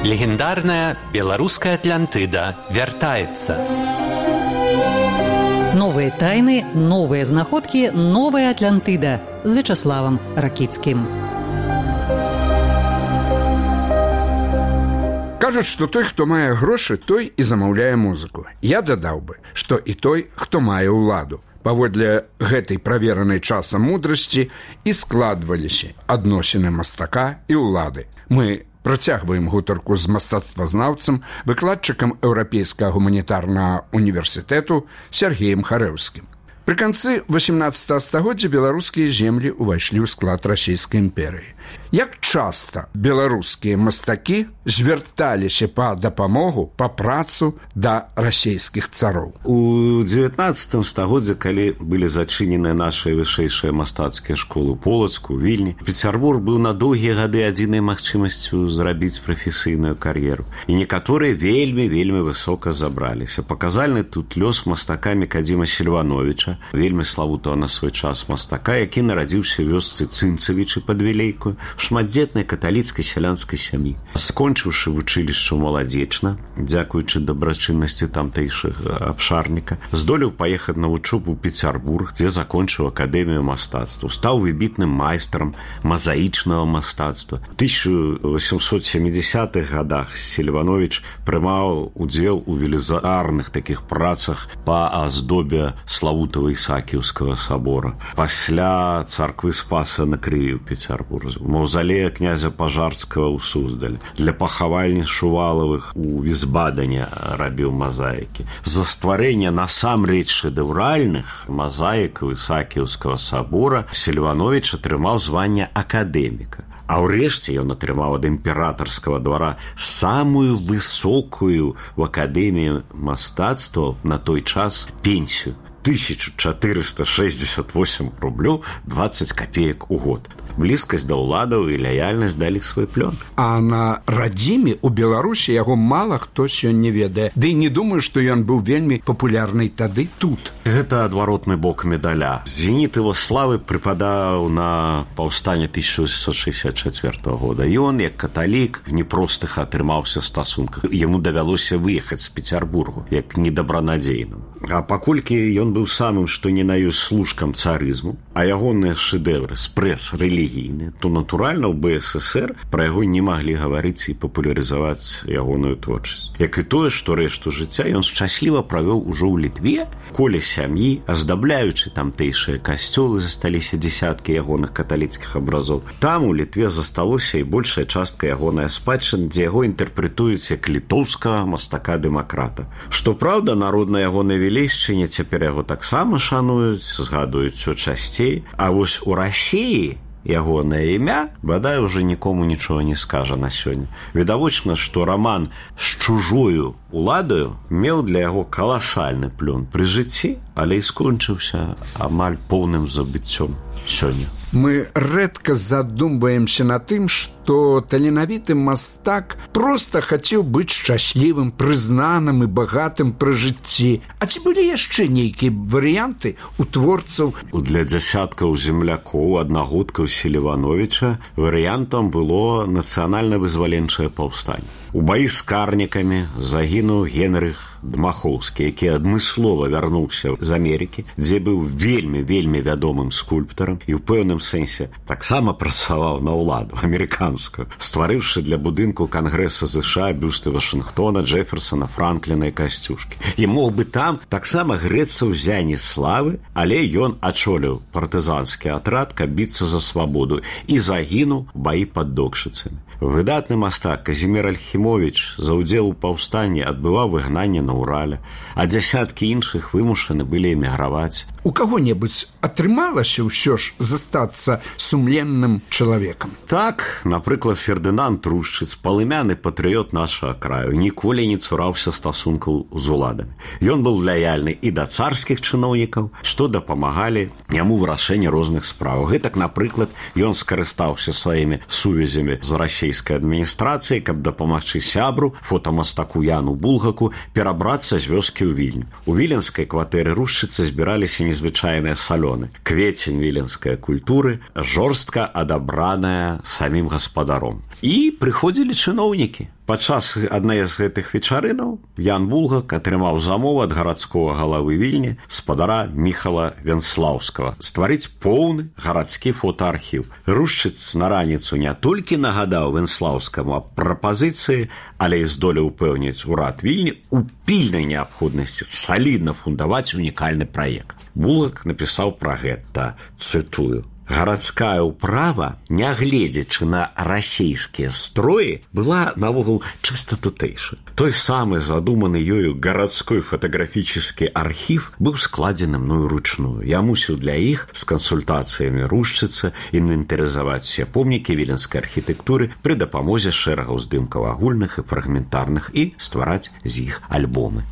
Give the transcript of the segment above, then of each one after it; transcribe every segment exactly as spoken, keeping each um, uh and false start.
Легендарная белорусская Атлантида вяртаецца. Новые тайны, новые знаходкі, новая Атлантида з Вячаславам Ракіцкім. Кажуць, што той, хто мае грошы, той і замаўляе музыку. Я дадаў бы, што і той, хто мае ўладу. Паводле гэтай праверанай часам мудрасці і складваліся адносіны мастака і ўлады. Мы працягваем гутарку з мастацтвазнаўцам, выкладчыкам Еўрапейскага гуманітарнага універсітэту Сергеем Харэўскім. Пры канцы васямнаццатага стагоддзя беларускія землі ўвайшлі ў склад расійскай імперыі. Як часта беларускія мастакі звярталіся па дапамогу, па працу да расійскіх цароў? У дзевятнаццатым стагоддзі, калі былі зачыненыя нашыя вышэйшыя мастацкія школы Полацку, Вільні, Пецярбург быў на доўгія гады адзінай магчымасцю зрабіць прафесійную кар'еру. І некаторыя вельмі-вельмі высока забраліся. Паказальны тут лёс мастака Мікадзіма Сільвановича, вельмі славутага на свой час мастака, які нарадзіўся ў вёсцы Цынцавічы пад Вілейкаю, шматдзетнай каталіцкай сялянскай сям'і. Скончыўшы вучылішча маладзечна, дзякуючы дабрачыннасці тамтэйшых абшарніка, здолеў паехаць на вучобу ў Пецярбург, дзе закончыў акадэмію мастацтва. Стаў выбітным майстрам мазаічнага мастацтва. У тысяча восемьсот семидесятых гадах Сільванович прымаў удзел у велізарных такіх працах па аздобе славутага Ісаакіўскага сабора. Пасля царквы Спаса на Крыві ў Пецярбурзе, маўзалея князя Пажарскага ў Суздале, для пахавальні Шувалавых у Візбадане рабіў мазаікі. За стварэнне насамрэч шэдэўральных мазаікаў Ісаакіўскага сабора Сільванович атрымаў званне акадэміка. А ўрэшце ён атрымаў ад імператарскага двара самую высокую в акадэміі мастацтва на той час пенсію тысяча четыреста шестьдесят восемь рублёў двадцать копеек у год. Блізкасць да ўладаў і лаяльнасць далі свой плён. А на радзіме ў Беларусі яго мала хто сёння ведае. Ды не думаю, што ён быў вельмі папулярны тады тут. Гэта адваротны бок медаля. Зеніт его славы прыпадаў на паўстанне тысяча восемьсот шестьдесят четвёртого года. Ён, як каталік, в непростых атрымаўся стасунках. Яму давялося выехаць з Пецярбургу, як недабранадзейным. А паколькі ён быў самым, што не на ёсць служкам царызму, а ягоныя шэдэвры з прэс рэлігійныя, то натуральна ў бэ эс эсэр пра яго не маглі гаварыць і папулярызаваць ягоную творчасць. Як і тое, што рэшту жыцця ён шчасліва правёў ужо ў Літве, коле сям'і, аздабляючы тамтэйшыя касцёлы, засталіся дзесяткі ягоных каталіцкіх абразоў. Там у Літве засталося і большая частка ягоная спадчына, дзе яго інтэрпрэтуюць як літоўскага мастака-дэмакрата. Што праўда, народ на ягонай Вілейшчыне цяпер яго таксама шануюць, згадуюць усё часцей, а вось у Расіі ягонае імя, бадай, уже нікому нічога не скажа на сёння. Відавочна, што раман з чужою уладаю меў для яго каласальны плён пры жыцці, але і скончыўся амаль поўным забыццём сёння. Мы рэдка задумваемся на тым, што таленавіты мастак проста хацеў быць шчаслівым, прызнаным і багатым пры жыцці. А ці былі яшчэ нейкія варыянты у творцаў? Для дзясяткаў землякоў, аднагодкаў Сільвановича варыянтам было нацыянальна-вызваленчае паўстанне. У баі з карнікамі загінуў Генрых Дмахоўскі, які адмыслова вярнуўся з Амерыкі, дзе быў вельмі-вельмі вядомым скульптарам і ў пэўным сэнсе таксама працаваў на ўладу амерыканскую, стварыўшы для будынку Кангрэса ЗША бюсты Вашынгтона, Джэферсона, Франкліна і Касцюшкі. І мог бы там таксама грэцца ў зяні славы, але ён ачоліў партызанскі атрад, каб біцца за свабоду, і загінуў у баі пад Докшыцамі. Выдатны мастак Казімір Альхімовіч за ўдзел у паўстанні адбываў выгнанне на Урале, а дзясяткі іншых вымушаны былі эміграваць. У каго-небудзь атрымалася ўсё ж застацца сумленным чалавекам? Так, напрыклад, Фердынанд Трушчыц, палымяны патрыёт нашага краю, ніколі не цураўся стасункаў з уладамі. Ён быў лаяльны і да царскіх чыноўнікаў, што дапамагалі яму вырашэнне розных спраў. Гэтак, напрыклад, ён скарыстаўся сваімі сувязямі з расійскай адміністрацыяй, каб дапамагчы сябру, фотамастаку Яну Булгаку, перабрацца з вёскі ў Вільню. У віленскай кватэры Рушчыца збіраліся незвычайныя салёны. Квецень віленскай культуры, жорстка адабраная самім гаспадаром. І прыходзілі чыноўнікі. Падчас адной з гэтых вечарынаў Ян Булгак атрымаў замову ад гарадскога галавы Вільні спадара Міхала Венслаўскага стварыць поўны гарадскі фотоархіў. Рушчыц на раніцу не толькі нагадаў Венслаўскаму аб прапазіцыі, але і здолеў упэўніць урад Вільні у пільнай неабходнасці салідна фундаваць унікальны праект. Булгак напісаў пра гэта, цытую: «Гарадская ўправа, нягледзячы на расійскія строі, была навогул чыста тутэйша. Той самы задуманы ёю гарадской фотаграфічны архіў быў складзены мною ручную. Я мусіў для іх з кансультацыямі Рушчыца інвентарызаваць усе помнікі віленскай архітэктуры пры дапамозе шэрагаў здымкаў агульных і фрагментарных і ствараць з іх альбомы».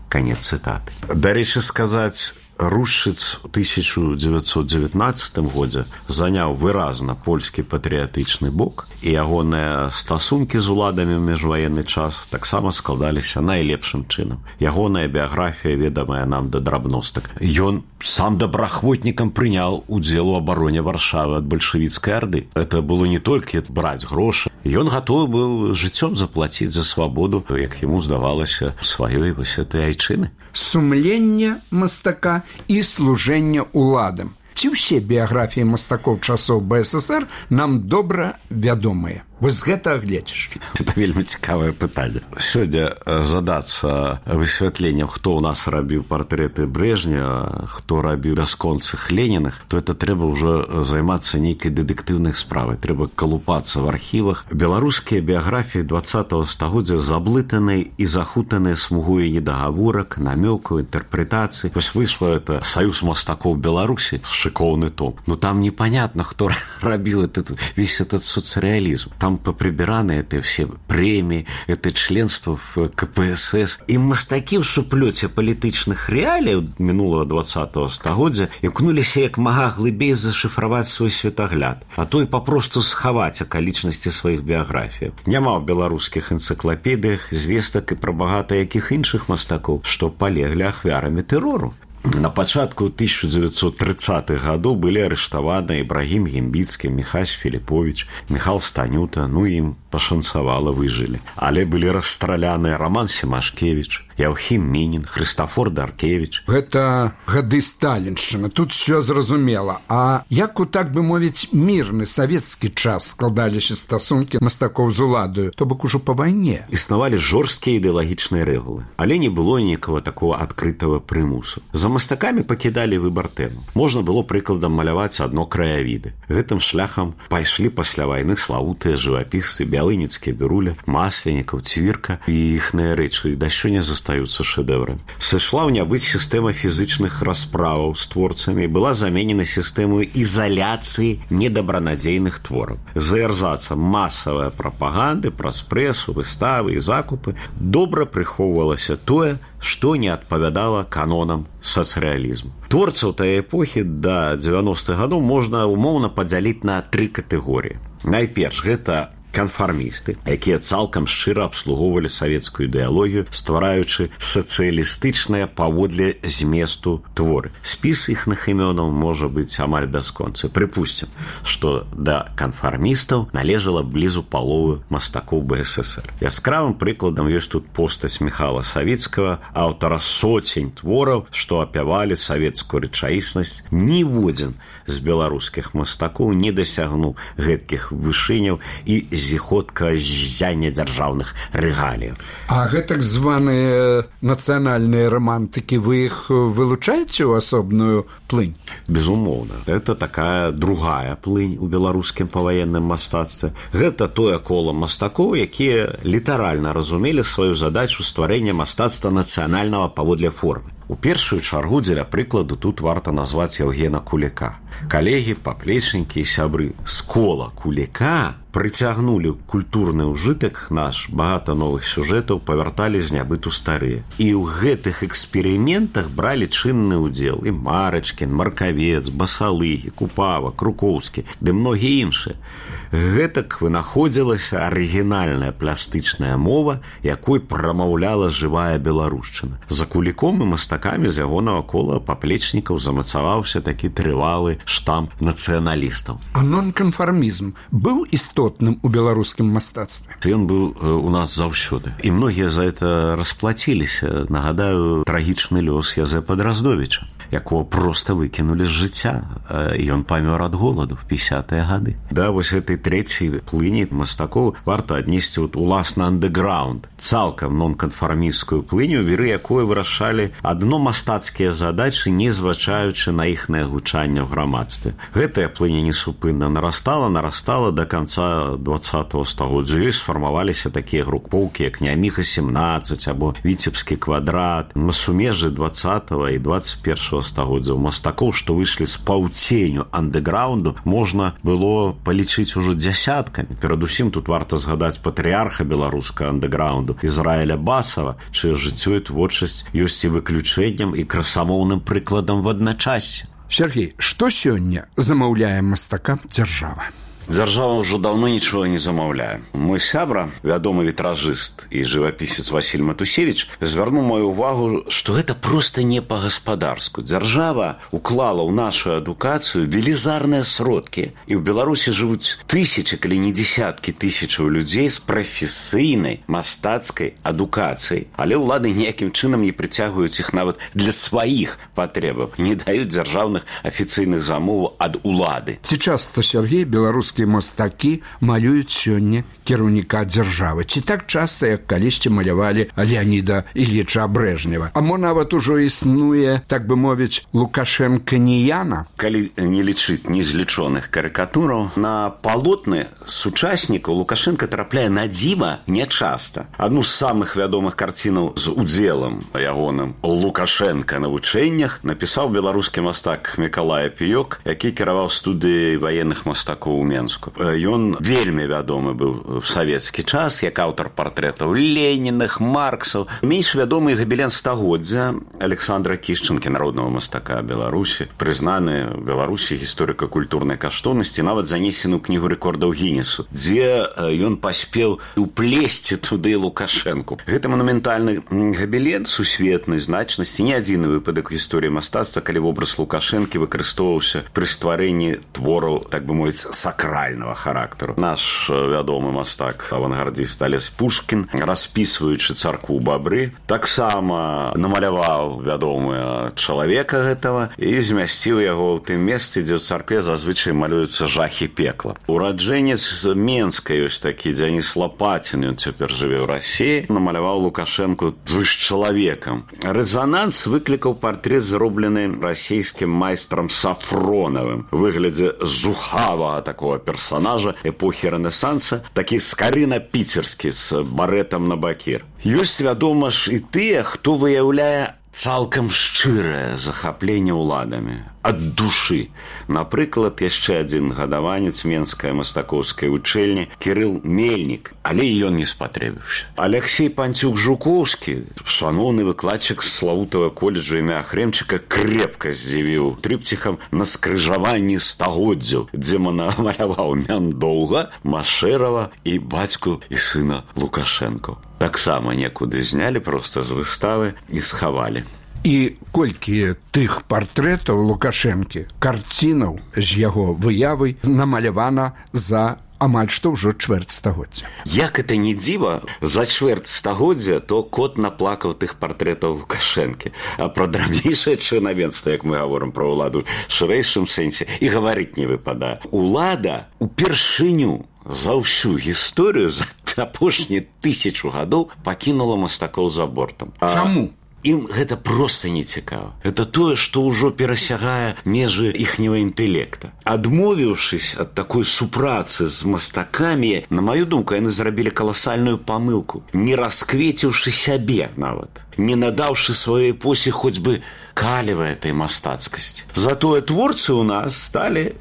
Канец цытаты. Дарэчы сказаць, Рушчыц у тысяча девятьсот девятнадцатым годзе заняў выразна польскі патрыятычны бок, і ягоныя стасункі з уладамі ў міжваенны час таксама складаліся найлепшым чынам. Ягоная біяграфія ведамая нам да драбностак. Ён сам добраахвотнікам прыняў удзел у абароне Варшавы ад бальшавіцкай арды. Это было не толькі браць грошы. Ён гатовы быў жыццём заплаціць за свабоду, як яму здавалася, сваёй вось этой айчыны. Сумленне мастака і служэння уладам. Ці ўсе біяграфіі мастакоў часоў бэ эс эс эр нам добра вядомыя? Вось з гэтага гледзячы. Это вельмі цікавае пытанне. Сёння задацца высвятленнем, хто ў нас рабіў партрэты Брежня, хто рабіў бясконцых Ленінах, то это трэба ўжо займацца нейкай дэтэктыўнай справай. Трэба калупацца в архівах. Беларускія біяграфіі двадцатага стагоддзя заблытаныя і захутаныя смугой недагаворак, намёкаў, інтэрпрэтацый. Вось выйшла это Саюз мастакоў Беларусі, шыкоўны том. Но там непонятно, хто рабіў этот, весь этот соцреализм. Там поприбираны это все премии, это членство в ка пэ эс эс. И мастакі в суплёце палітычных реалий минулого двадцатого стагоддзя імкнуліся як мага глыбей зашифровать свой светогляд, а то и попросту схаваць акалічнасці сваіх біяграфій. Няма ў беларускіх энцыклапедыях звестак і пра багата якіх іншых мастакоў, што палеглі ахвярамі тэрору. На пачатку тысяча девятьсот тридцатых гадоў былі арыштаваны Ібрагім Гімбіцкі, Міхась Філіповіч, Міхал Станюта, ну ім пашанцавала, выжылі. Але былі расстраляны Роман Семашкевіч, Яўхім Мінін, Хрыстафор Даркевіч. Гэта гады сталіншчыны, тут що зразумела. А як у, так бы мовіць, мірны савецкі час складаліся стасункі мастакоў з уладаю, то бок ужо па вайне? Існавалі жорсткія ідэалагічныя рэгулы, але не было ніякага такого адкрытага прымусу. За мастакамі пакідалі выбар тэму. Можна было прыкладам маляваць адно краявіды. Гэтым шляхам пайшлі пасля вайны славутыя жывапісцы Бялыніцкі, Біруля, Масленікаў, Цвірка, і іхныя рэчы да сёння застаюцца шэдэўрамі. Сышла ў нябыць сістэма фізычных расправаў з творцамі і была заменена сістэмаю ізаляцыі недабранадзейных твораў. За эрзацам масавая прапаганды праз прэсу, выставы і закупы добра прыхоўвалася тое, што не адпавядала канонам сацрэалізму. Творцаў тае эпохі да дзевяностых гадоў можна умоўна падзяліць на тры катэгорыі. Найперш, гэта канфармісты, якія цалкам шчыра абслугоўвалі савецкую ідэалогію, ствараючы сацыялістычныя паводле зместу творы. Спіс іхных імёнаў можа быць амаль бясконцы. Прыпусцім, што да канфармістаў належала блізу паловы мастакоў бэ эс эс эр. Яскравым прыкладам ёсць тут постаць Міхала Савіцкага, аўтара сотень твораў, што апявалі савецкую рэчаіснасць. Ніводзін з беларускіх мастакоў не дасягнуў гэткіх вышыняў і зіходка ззяння дзяржаўных рэгаліяў. А гэтак званыя нацыянальныя романтыкі, вы іх вылучаеце ў асобную плынь? Безумоўна. Это такая другая плынь у беларускім паваенным мастацтве. Гэта тое кола мастакоў, якія літаральна разумелі сваю задачу стварэння мастацтва нацыянальнага паводле формы. У першую чаргу дзеля прыкладу тут варта назваць Яўгена Куліка. Калегі, паплечнікі і сябры з кола Куліка прыцягнулі культурны ўжытак наш, багата новых сюжэтаў павярталі з нябыту старыя. І ў гэтых эксперыментах бралі чынны ўдзел і Марачкін, Маркавец, Басалыгі, Купава, Крукоўскі, ды многія іншыя. Гэтак вынаходзілася арыгінальная пластычная мова, якой прамаўляла жывая беларушчына. За Куліком і мастакамі мастакамі з ягонага кола паплечнікаў замацаваўся такі трывалы штамп нацыяналістаў. А нонканфармізм быў істотным у беларускім мастацтве? Ён быў у нас заўсёды. І многія за это расплаціліся. Нагадаю, трагічны лёс Язэпа Драздовіча, якого просто выкінулі з жыцця, і ён памёр ад голаду в пятидесятые гады. Да, вось гэтай трэцяй плыні мастакоў варта аднесці вот уласна андэграунд, цалкам нонканфармісцкую плыню, веры якой вырашалі адно мастацкія задачы, не зважаючы на іхнае гучанне ў грамадстве. Гэтая плыня несупынна нарастала, нарастала до конца двадцатого стагоддзя. Ёй сфармаваліся такія групоўкі, як Няміха семнадцаць або Віцебскі квадрат. На сумежжы двадцатого і двадцать первого стагоддзяў мастакоў, што выйшлі з паўценю андэграунду, можна было палічыць ужо дзясяткамі. Перадусім тут варта згадаць патрыарха беларускага андэграунду Ізраіля Басава, чыё жыццё і творчасць ёсць і выключэннем, і красамоўным прыкладам в адначассе. Сергей, што сёння замаўляе мастакам дзяржава? Дзяржава ўжо даўно нічога не замаўляе. Мой сябра, вядомы вітражыст і жывапісец Васіль Матусевіч, звярнуў маю ўвагу, што гэта проста не па-гаспадарску. Дзяржава уклала ў нашу адукацыю велізарныя сродкі, і ў Беларусі жывуць тысячы, калі не десяткі тысячаў людзей з прафесійнай мастацкай адукацыяй, але ўлады ніякім чынам не прыцягваюць іх нават для сваіх патрэбаў, не даюць дзяржаўных афіцыйных замоваў ад улады. Ці часта, Сергей, беларускі мастакі малююць сёння кіраўніка дзяржавы? Ці так часта, як калісьці малявалі Леаніда Ільіча Брэжнева? А мо нават ужо існуе, так бы мовіць, Лукашэнканіяна? Калі не лічыць незлічоных карыкатураў, на палотны сучаснікаў Лукашенко трапляе на дзіва нячаста. Адну з самых вядомых карцінаў з удзелам ягоным Лукашенка на вучэннях напісаў беларускі мастак Мікалай Апіёк, які кіраваў студыяй ваенных мастакоў у Менску. Ён вельмі вядомы быў в савецкі час, як аўтар партрэтаў Леніных, Марксаў. Менш вядомы габелен стагоддзя Александра Кішчанкі, народнага мастака Беларусі, прызнаны в Беларусі гісторыка-культурнай каштоўнасці, нават занесены ў кнігу рэкордаў Гіннесу, дзе ён паспеў уплесці туды Лукашэнку. Гэта манументальны габелен сусветнай значнасці, не адзіны выпадак у гісторыі мастацтва, калі вобраз Лукашэнкі выкарыстоўваўся пры стварэнні твораў, так бы мовіць, сакрального характеру. Наш вядомы мастак авангардист Алесь Пушкін, распісваючы царкву Бабры, таксама намаляваў вядомыя чалавека гэтага і змясціў яго ў тым месцы, дзе ў царкве зазвычай малююцца жахі пекла. Ураджэнец з Менска ёсць такі Дзяніс Лапацін, ён цяпер жыве ў Расіі, намаляваў Лукашэнку звышчалавекам. Рэзананс выклікаў партрэт, зроблены расійскім майстрам Сафронавым, у выглядзе зухавага такого персонажа эпохі Рэнесанса, такі скарына-піцерскі з барэтам на бакір. Ёсць, вядома ж, і тыя, хто выяўляе цалкам шчырае захапленне ўладамі ад душы. Напрыклад, яшчэ адзін гадаванец менскай мастакоўскай вучэльні Кірыл Мельнік, але і ён не спатрэбіўся. Алексей Панцюк-Жуковскі, шаноўны выкладчык славутага коледжа імя Хрэмчыка, крепка здзівіў трыпціхам на скрыжаванні стагоддзяў, дзе намаляваў Мяндоўга, Машэрава і бацьку і сына Лукашэнко. Таксама некуды знялі проста з выставы і схавалі. І колькі тых партрэтаў Лукашэнкі, карцінаў з яго выявай намалявана за амаль што ўжо чвэрць стагоддзя. Як это не дзіва, за чвэрць стагоддзя то кот наплакаў тых партрэтаў Лукашэнкі. А пра драбнейшае чынавенства, як мы гаворым пра ўладу, шырэйшым сэнсе і гаварыць не выпадае. Улада упершыню за ўсю гісторыю за апошнія тысячу гадоў пакінула мастакоў за бортам. Чаму? Ім гэта проста не цікава. Это тое, што ўжо перасягае межы іхняга інтэлекта. Адмовіўшыся ад такой супрацы з мастакамі, на маю думку, яны зрабілі каласальную памылку, не расквеціўшы сябе нават, не надаўшы сваёй эпосе хоць бы каліва этой мастацкасці. Затое творцы ў нас сталі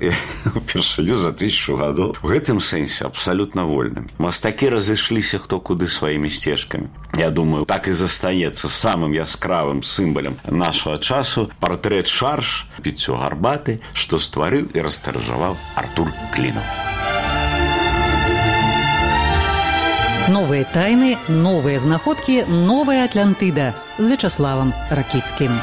упершыню за тысячу гадоў у гэтым сэнсе абсалютна вольнымі. Мастакі разышліся хто куды сваімі сцежкамі. Я думаю, так і застанецца самым яскравым сімвалам нашага часу партрэт Шарш, піццё гарбаты, што стварыў і растыражаваў Артур Клінаў. Новые тайны, новые знаходкі, новая Атлантыда з Вячаславам Ракіцкім.